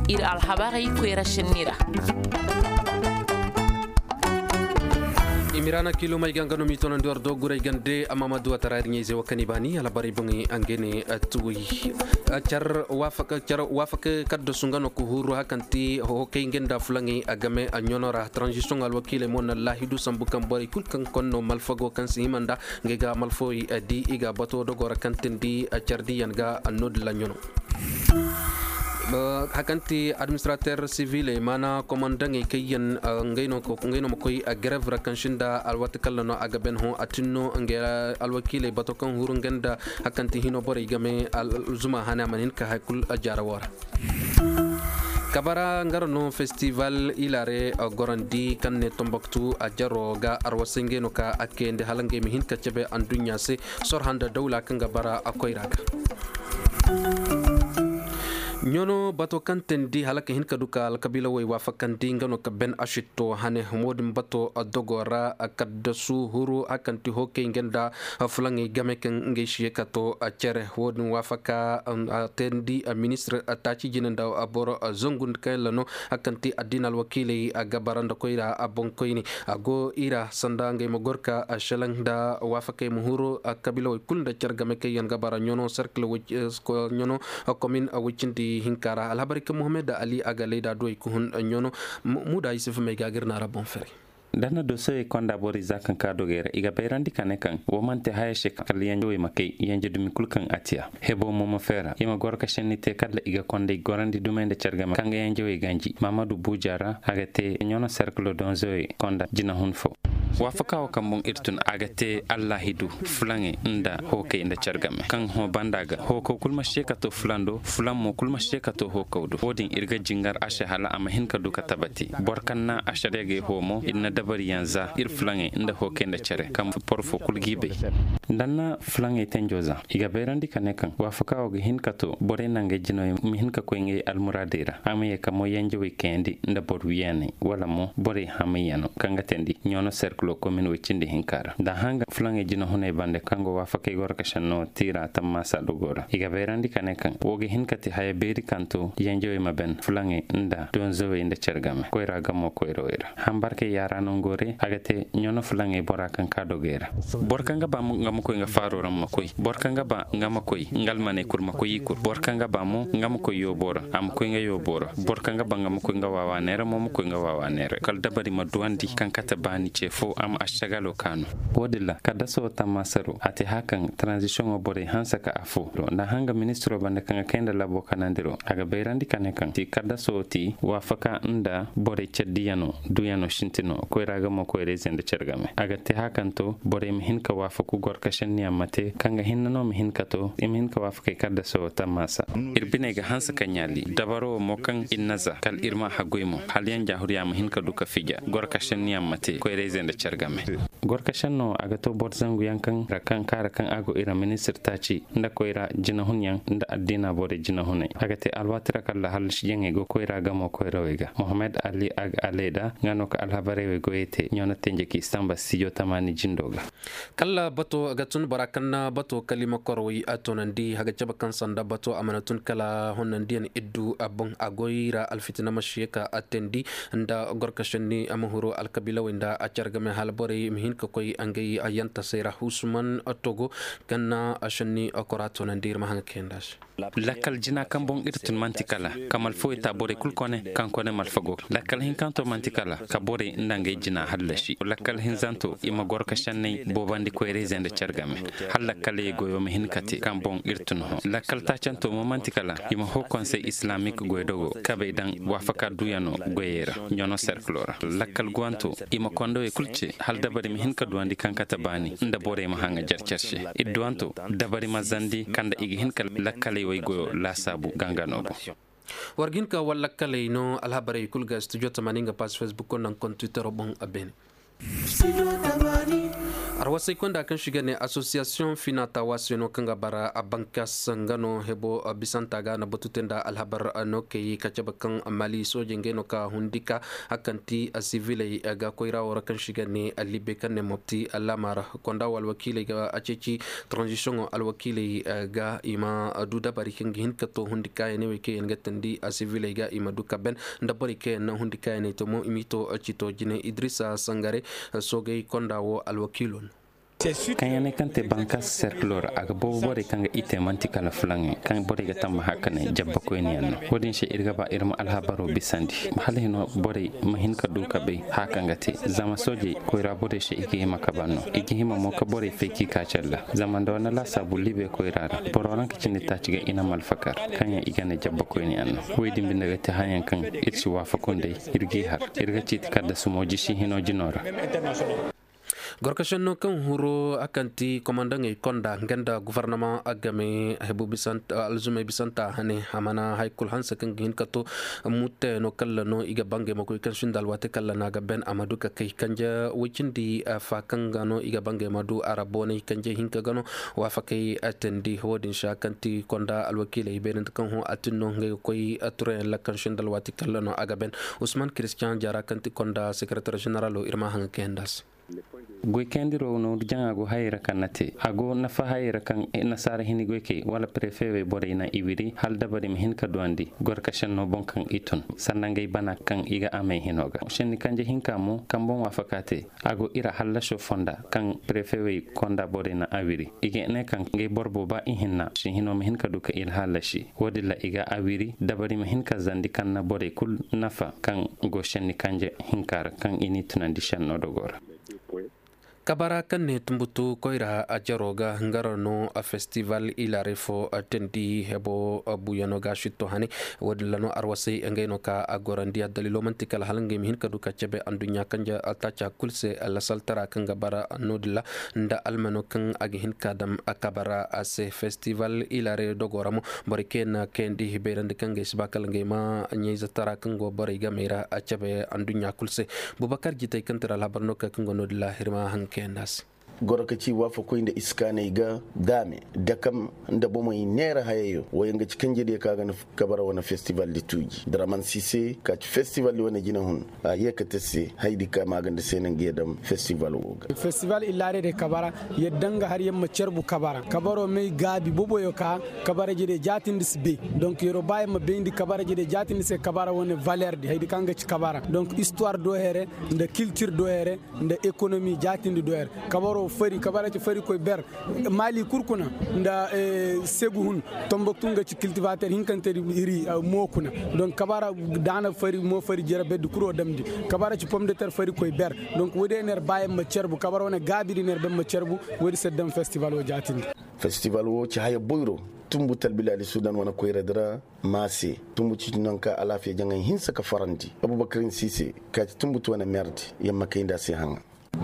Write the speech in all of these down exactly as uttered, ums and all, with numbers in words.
Ir alhabarey koyra senni ra. Imirana kilomey ga nga no m'i tonandi war do guray gande amma ma duwa tara ir ɲayze wo kaŋ i baani alhabarey boŋey a nga ne tuwey. Car waafak kaddasu nga no ka huru hakanti hokey nga nda fulaŋey a game a ɲono ra transition alwakiiley mo na laahidu sambu kaŋ borey kul kaŋ konno malfago kaŋ si hima nda ngey ga malfawey di i ga bato dogo ra kaŋ tindi cardiyaŋ ga annoodilla ɲono. Hakanti administrater siviley maana komandaŋey kayyaŋ ngey no ma koy grev ra kaŋ sinda alwati kalla no a ga ben hõ a tinno ngey alwakiiley bato kaŋ huru nga nda hakanti hino borey game zuma hane a mana hin ka hay kul jaara wo ra. Kabara nga ra no festival ilare gorandi kaŋ ne tomboktu a jaro ga arwasay ngey no ka a kayandi hala ngey ma hin ka cabe anduɲɲa se. Sor handa dawla kaŋ ga bara a koyra ga. Ɲono bato kaŋ teendi hala ka hin ka du ka alkabiila wey waafakandi nga no ka ben a sitto hane wo-din bato dogo ra. Kaddasu huru hakanti hokey nga nda fulaŋey game kaŋ ngey si ye ka to cere wo-din waafaka a teendi ministir taaci jine nda boro zangu nda kaŋ yalla no hakanti addiina alwakiiley a ga bara nda koyra a boŋkoyne. A go i ra sanda ngey ma gor ka a selaŋ nda waafakey ma huru kabiilawey kulu nda care game kaŋ yaŋ ga bara ɲono serkil ɲono komin woy cindi hinka ra alhabarey kaŋ muhammad ali a ga layda duwey ka hun ɲono. Muda yusuf may ga gir na ra boŋ fere. Da na dosewey konda borey za kaŋ ka dogey ra i ga bayrandi ka ne kaŋ wo man'te haya se kala yanjewey ma kay yanje dumi kulu kaŋ a tiya. Hebo mo ma feera i ma goro ka senni te kala i ga kondey gorandi dumey nda care game kaŋ ga yanjewey ganji mamadu buuja ra a ga te ɲono serkilo donzewey konda jinahun fo. Waafaka wo kaŋ boŋ ir tun a ga te allahidu fulaŋey nda hookey nda care game kaŋ hõ banda ga hookaw kulu ma se ka to fulaŋ do fulaŋ mo kulu ma se ka to hookaw do wo-din ir ga jingar a se hala a ma hin ka du ka tabati boro kaŋ na a sariya gay hoo mo ir na dabariyaŋ za ir fulaŋey nda hookey nda care kaŋ boro fo kulu g'i bay. Nda na fulaŋey tenjo za i ga bayrandi ka ne kaŋ waafaka wo ga hin ka to borey nangey jinawey ma hin ka koy ngey almuraadey ra a ma ye ka moy yanjawey kayandi nda boro wiyaaney wala mo borey hamayyaŋo kaŋ ga teendi ɲono serkilo komin woy cindi hinka ra nda a hanga fulaŋey jinahuney bande kaŋ go waafakey goro ka senno tiira tammaasa dogo ra i ga bayrandi ka ne kaŋ wo ga hin ka te haya beeri kaŋ to yanjawey ma ben fulaŋey nda donzawey nda care game koyra gamo koyrawey ra. Hambarkey yaara nangoo re a ga te ɲono fulaŋey bora kaŋ ka dogey ra. Boro kaŋ ga ba nga ma koy nga faaro ra ma koy boro kaŋ ga ba nga ma koy nga almaney kul ma koy i kul boro kaŋ ga ba mo nga ma koy yoobo ra a ma koy nga yoobo ra boro kaŋ ga ba nga ma koy nga waawaaney ra mo ma koy nga waawaaney ra kala dabari ma duwandi kaŋ kate baani ce fo a ma ašagalo kaanu. Wo-din ra kaddaso tammaasaro a te haya kaŋ taranzisiyoŋo borey hanse ka afo nda a hanga ministiro bande kaŋ ga kay nda labo kanandiro a ga bayrandi ka ne kaŋ ti kaddaso ti waafaka nda borey care diyano duyano sintino koyra ga mo koyra ize nda care game a ga te haya kaŋ to borey ma hin ka waafaku goro ka senniyaŋ ma te kaŋ ga hinne no ma hin ka to i ma hin ka waafakey kaddaso tammaasa. Ir biney ga hanse ka ɲaali dabaro wo mo kaŋ ir na za kala ir ma a haggoy mo hala yaŋ jaahuriya ma hin ka du ka fija goro ka senniyaŋ ma te koyra ize nda care game. Goro ka senno a ga to boro zangu yaŋ kaŋ ra kaŋ kaara kaŋ a go ir ra ministir taaci nda koyra jinahun yaŋ nda addiina borey jinahuney a ga te alwaati ra kaŋ ra hallashijaŋey go koyra gamo koyrawey ga mohammed ali ag aleda nga no ka alhabarey wey goyey te ɲono tenje k'i samba stijo tamaani jindo ga. Kala bato ga tun bora kaŋ na bato kalima korowey a toonandi haga cabe kaŋ sanda bato a mana tun kala honnandiyaŋ iddu a boŋ a goy ra alfitina ma si ye ka a teendi nda gorkasenni a ma huru alkabiilawey nda a care game hala borey ma hin ka koy ngey yantasey ra husuman togo kaŋ na a senni kora toonandi ir ma haŋ kayanda se. Lakkal jina kaŋ boŋ ir tun manti kala ka malfawey ta borey kul kone kaŋ kone malfa go lakkal hinkanto manti kala ka borey nda ngey jina hallasi lakkal hinzanto i ma goro ka senney boobandi koyrayzey nda care game hala lakkaley goyo ma hin ka te kaŋ boŋ ir tun hõ lakkal taacanto mo manti kala i ma hoo konsey islamik goydogo kabey daŋ waafaka duyano goyey ra ɲono serkilo ra lakkal guwanto i ma kondowey kul ce hala dabari ma hin ka duwandi kaŋ kate baani nda borey ma haŋa jarcar se idduwanto dabari ma zandi kaŋ nda i ga hin ka lakkaley waygoyo laasaabu gangano boŋ. War ga hin ka war lakkaley no alhabarey kul ga studio tamaani nga pass facebook naŋ kontwitero boŋ a beene. Wasay konda kaŋ si ga ne asosiyasiyoŋ finata waase no kaŋ ga bara a bankas nga no hebo bisanta ga na batu te nda alhabar no kay ka cabe kaŋ mali soojey ngey no ka hundi ka hakanti siviley ga koyra wo ra kaŋ si ga ne libe kaŋ ne mopti lamara konda wo alwakiiley ga a ceeci transition alwakiiley ga i ma du dabari kaŋ ga hin ka to hundi kaayaney wey kaŋ yaŋ ga tandi siviley ga i ma du ka ben nda borey kaŋ yaŋ na hundi kaayaney to mo i m'i to cito jine idrisa sangare soogey konda wo alwakiilo no. Kaŋ yaŋ ne kaŋ te bankas serkilo ra a ga boobo borey kaŋ ga i te manti kala fulaŋey kaŋ borey ga tamba hakaney jabbakoyniyaŋ no. Wo-din se ir ga ba ir ma alhabaro bisandi hala hino borey ma hin ka du ka bay haya kaŋ ga te zama soojey koyra borey se i ga hima ka ban no i ga hima mo ka borey fay k'i ka calla zama nda wane laasaabu libe koyra ra boro ranka cindi taaci ga i na malfakar kaŋ yaŋ i ga ne jabbakoyniyaŋ no. Wey din binde ga te hayaŋ kaŋ ir si waafaku nd'ey ir g'i har ir ga ciiti kaddasu mo jisi hino jino ra. Gorkašenno kaŋ huru a kaŋ ti komandaŋey konda nga nda gofornama a game hebu alzumey bisanta hane a mana hari kulu hanse kaŋ ga hin ka to muttayano kalla no i ga bangey ma koy kaŋ sinda alwaati kalla no a ga ben a ma du ka kay kanje woy cindi fa kaŋ ga no i ga bangey ma du a ra boonay kanje hinka ga no waafakey teendi wo-din se a kaŋ ti konda alwakiiley beerante kaŋ hõ a tin no ngey ga koy turayaŋ ra kaŋ sinda alwaati kalla no a ga ben. Usman kiristiyaŋ jaara kaŋ ti konda sekeretar ženeralo ir ma haŋa kayandi a se. Goykayandiro no jaŋa go hayey ra kaŋ na te a go nafa hayey ra kaŋ nasaara hini goykey wala prefe wey borey na i wiri hala dabari ma hin ka duwandi gorkasenno boŋ kaŋ i tun sanda ngey bana kaŋ i ga amey hino ga senni kanje hinka mo kaŋ boŋ waafaka te a go ira hallaso fonda kaŋ prefe wey konda borey na a wiri i ga ne kaŋ ngey boro booba ihinna si hino ma hin ka du ka ila hallasi wo-din ra i ga a wiri dabari ma hin ka zandi kaŋ na borey kulu nafa kaŋ go senni kanje hinka ra kaŋ i n'i tunandi senno dogo ra. Kabara kaŋ ne tumbutu koyra a jaro ga ngara no a festival ilare fo teendi hebo buyano ga sitto hane wo-din ra no arwasay ngey no ka a gorandi addalilo manti kala hala ngey ma hin ka du ka cebe anduɲɲa kanje attaaca kulu se lasaltara kaŋ ga bara no-din ra nda almano kaŋ a ga hin ka dam a kabara a se festival ilare dogo ra mo borey kaŋ yaŋ na kayandi beerandi kaŋ ga ay si ba kala ngey ma ɲayze tara kaŋ go borey gamey ra a cebe anduɲɲa kulu se. Bubakar jitey kaŋ tira alhabar no ka kaŋ go no-din ra ir ma haŋ kayandi a se. Goro ka ci waafakoy nda iskaaney ga daame dakam nda bomey neera hayayo wo yaŋ ga ci kanjediyo kaŋ a ga na kabara wane festival di tuuji draman sise ka ci festival di wane jinahun a ye ka te se haydi ka maaganda se naŋ ga yee dam festival wo ga. Festival illaare de kabara yadda nga har yaŋ ma carbu kabara kabaro may gaabi boboyo ka kabara jede jaatindi si bay. Donc yero ba yaŋ ma bayndi kabara jede jaatindi se kabara wane valer di haydi kaŋ ga ci kabara donc histoire do here nda kiltir do here nda ekonomi jaatindi do here. Kabaro fari kabara ci fari koy ber mali kurkuna nda segu hun tomboktu nga ci kiltivater hinkante iri mo kuna. Donc kabara daana fari mo fari jere beddi kuro damdi kabara ci pomdeter fari koy ber. Donc wodi ener bayan ma cerbu kabara wane gaabidi ner ben ma cerbu. Wodi seddam festival wo jaatindi. Festival wo ci haya boyro tumbu talbiladi sudan wane koyradi ra. Maase tumbu ci nanka alaafiya jaŋay hinsa ka farandi abubakarin sise ka ci tumbu ti wane merdi yamma kayndi a se haŋa.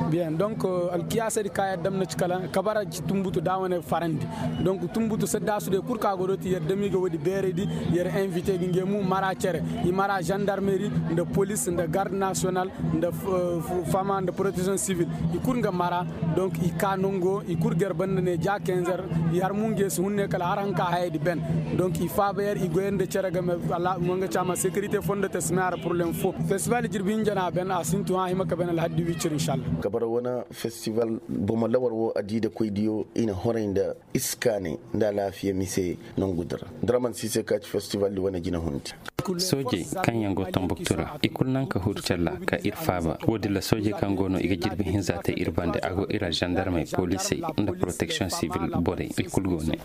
Bien donc alkiyaasadi ka yaddam na ci kala kabara ci tumbutu da wane farandi. Donc tumbutu saddaasude kul ka godo ti yaddami ga wodi beeraydi. Yer invite ga nge mu mara cere i mara gendarmeri nda polis nda garde national nda fama nda protection civil. I kul nga mara donc i ka nongo i kul ga yer banda ne ja kenzer. I har mu nge si hunne kala har hanka hayadi ben. Donc i faaba yer i goyande cere game. Wanga cama sécurité fondo te si me ara problème fo. Festival jirbi hinja na ben a sintu ha hima ka ben alhaddi wicir inshallah. Kabara wane festival bomo lawar wo a di da koy diyo i na horay nda iskaanay nda alaafiya mise. Nongu dira draman sise ka ci festival di wane jina hundi. Soojey kaŋ yaŋ go tombuktu ra i kulu naŋ ka huru calla ka ir faaba wo-din ra soojey kaŋ go no i ga jirbi hinza te ir bande a go ir ra zandarmey polisey nda protection sivil borey i kulu go ne.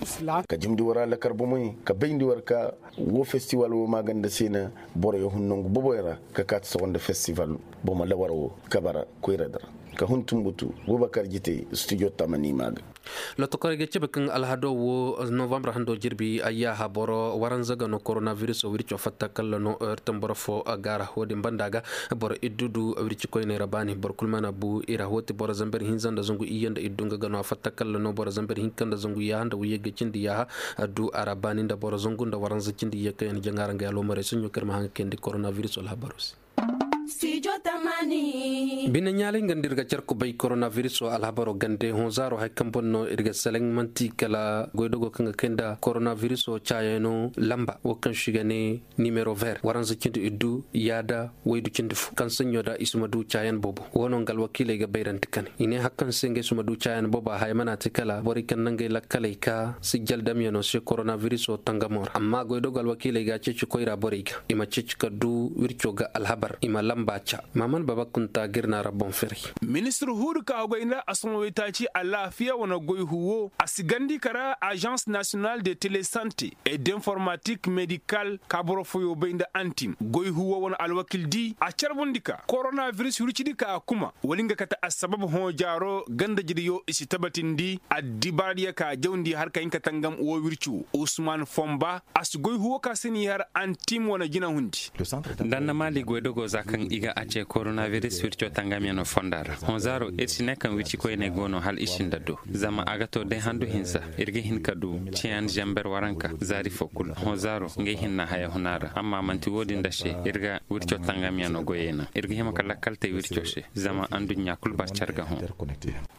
Ka jimdi wara lakar bomey ka bayndi war ka wo festival wo maaganda se na boroyo hun nongu boboy ra ka kaati sogo nda festival bomo lawar wo kabara koyradi ra. Ka hun tumbutu bubakar jitey studio tamani maaga. Lotokorey ga cabe kaŋ alhado wo novambre hando jirbi ayyaaha boro waranza ga no koronaviruso wirco fatta kalla no ir tamboro fo gaara wo-din banda ga boro iddu du wirci koyney ra baani boro kulu mana bu i ra wo ti boro zamber hinza nda zangu iyye nda iddu nga ga no a fatta kalla no boro zamber hinka nda zangu yaaha nda wiyye ga cindi yaaha. Du a ra baani nda boro zangu nda waranza cindi iyye kaŋ yaŋ jaŋa ra nga yaaloomarey soɲo kaŋ ir ma haŋ ga kayandi koronaviruso alhabaro se. Bine ɲaalay nga nda ir ga car kubay koronabiriso alhabaro gande hõ zaaro hay kaŋ boŋ no ir ga seleŋ manti kala goydogo kaŋ ga kay nda koronabiriso caayaŋo lamba wo kaŋ se i ga ne nimero ver waranza cindi iddu yaada waydu cindi fo kaŋ saɲɲo da i si ma du caayaŋ boobo wo no nga alwakiiley ga bayrandi kane i ne hari kaŋ se ngey si ma du caayaŋ boobo a haya mana te kala borey kaŋ na ngey lakkaley ka sijjal damyaŋo se koronabiriso tangamo ra amma goydogo alwakiiley ga a ceeci koyra borey ga i ma ceeci ka du wirco ga alhabar i ma lamba ca. Maman baba kunta ga ir naara boŋ firay. Ministir huudu ka hogay nda asama waytaaci alaafiya wane goy huwo a si gandi kara agence national de telesante et d'informatique médical ka boro foyo bay nda antim goy huwo wane alwakil di a carbundi ka koronabiris wircidi ka a kuma wala nga kate assabab hõ jaaro ganda jidiyo i si tabatindi addibaaradiyo ka jawndi har ka hin ka tangam wo wirci wo usman fomba a si goy huwo ka se n'i har antim wane jinahundi. Nda nda maali goydogo za kaŋ i ga a ce koronabiris wirco tangamyaŋo fonda ra hõ zaaro ir si ne kaŋ wircikoyney go no hala i si nda do zama a ga to day handu hinsa ir ga hin ka du ceeyaŋ zamber waranka zaari fo kulu hõ zaaro ngey hinna haya huna ra amma man'ti wo-din nda se ir ga wirco tangamyaŋo goyey naŋ ir ga hima ka lakkal te wirco se zama anduɲɲa kulu bar car ga hõ.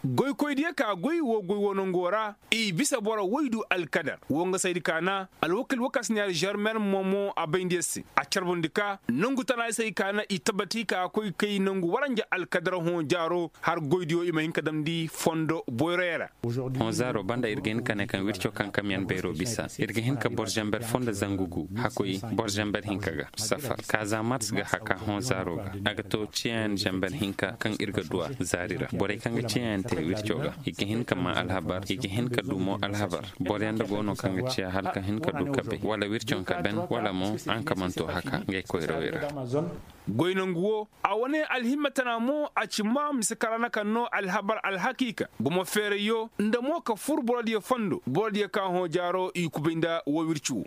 Goykoydiyo ka goy wo goy wo nango ra i bisa boro woy du alkadar wo nga saydi ka na alwakil wo ka si ne alžarmer momo a bayndi yer se a carbundi ka nangu tana se i ka na i tabati ka koy kay nangu waranja alkadar hõ jaaro har goydiyo i ma hin ka damndi fondo boyroyo ra. Hõ zaaro banda ir ga hin ka ne kaŋ wirco kaŋ kamyaŋ beero bisa ir ga hin ka boro zamber fondo zangu gu hakoy boro zamber hinka ga safar kaza mars ga haka hõ zaaro ga a ga to ceeyaŋ zamber hinka kaŋ ir ga du a zaari ra borey kaŋ ga ceeyaŋ te wirco ga i ga hin ka maa alhabar i ga hin ka du mo alhabar boro yaŋ da go no kaŋ ga ciya hala ka hin ka du ka bay wala wirco ka ben wala mo a nka man to haka ngey koyrawey ra. Goy nangu wo a wane alhimma tana mo a ci ma mise ka ra na kaŋ no alhabar alhakiika gumo feerayyo nda mo ka fur borodiyo fondo borodiyo ka hõ jaaro i kubay nda wo wirci wo.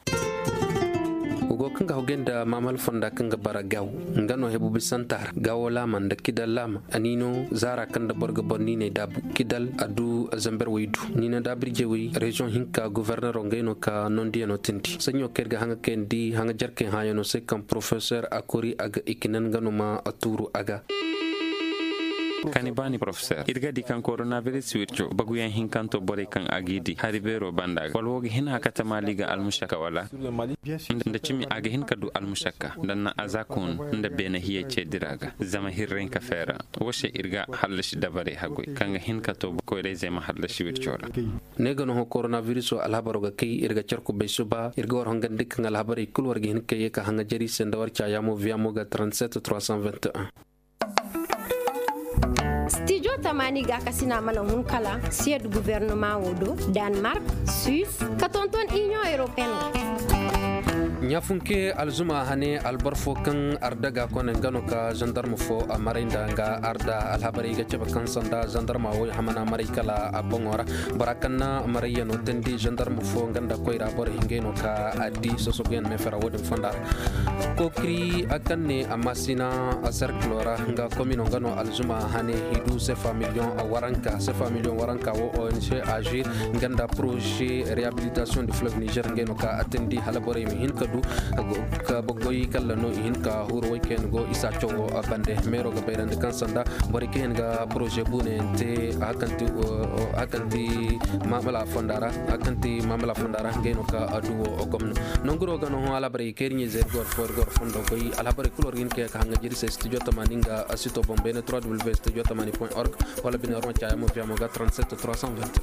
Wa go kaŋ ga hogay nda maamal fonda kaŋ ga bara gaawo nga no hebu bisanta ra gaawo laama nda kidal laama a niino zaara kaŋ nda boro ga boro niiney daabu kidal a du zamber waydu niino daabirjey wey reziyoŋ hinka gofornero ngey no ka nondiyaŋo tindi saɲɲo kaŋ ir ga haŋa kayandi haŋa jarkey hãyaŋo se kaŋ porofesor a kori a ga ikinan nga no ma a tuuru a ga. Kani baani porofesor ir ga di kaŋ koronabiris wirco baguyaŋ hinkanto borey kaŋ a g'i di hari beero banda ga wala wo ga hin a kate maali ga almušakka wala nda cimi a ga hin ka du almušakka nda na a za kun nda beene hiyey ce dira ga zama hirrey ka feera wo se ir ga hallasi dabarey hagoy kaŋ ga hin ka to koyrayzey ma hallasi wirco ra. Ne ga no hõ koronabiriso alhabaro ga kay ir ga car kubay suba ir ga war hongandi kaŋ alhabarey kul war ga hin ka ye ka haŋa jari se nda war caayaamo viyamo ga trente-sept trois cent vingt et un. Stijo tamaani gaakasina mana hun kala siyed guvernoma wo do, danmark, suis ka tonton inion europeen. Ɲaafunke alzuma hane albor fo kaŋ arda ga kone nga no ka zandarma fo a maray nda nga arda alhabarey ga cabe kaŋ sanda zandarma wo hamana maray kala a boŋo ra. Bora kaŋ na marayyano teendi zandarma fo nga nda koyra boro hingay no ka a di sosoguyaŋ meefera wo-din fonda ra. Kookiri a kaŋ ne a maasina a serkilo ra nga komino nga no alzuma hane hidu sefa miliyoŋ waranka sefa miliyoŋ waranka wo ong agir nga nda poroze rehabilitasiyoŋ di fleuve niger ngey no ka a teendi hala borey ma hin ka du ka baggoy kalla no i hin ka huru way kaŋ yaŋ go isa cawo bande meero ga bayrandi kaŋ sanda borey kaŋ yaŋ ga poroze buunayaŋ te hakanti hakanti mamala fonda ra hakanti mamala fonda ra ngey no ka a du wo gomno. Nonguro ga no hõ alhabarey kaŋ ir ɲayze ir gor fo ir gor fondo goy alhabarey kulu war ga hin ka ye ka haŋa jiri se studio tamaani nga sito boŋ beene trois w studio tamaani point org wala bine war ma caya mo fiya mo ga trente-sept trois cent vingt.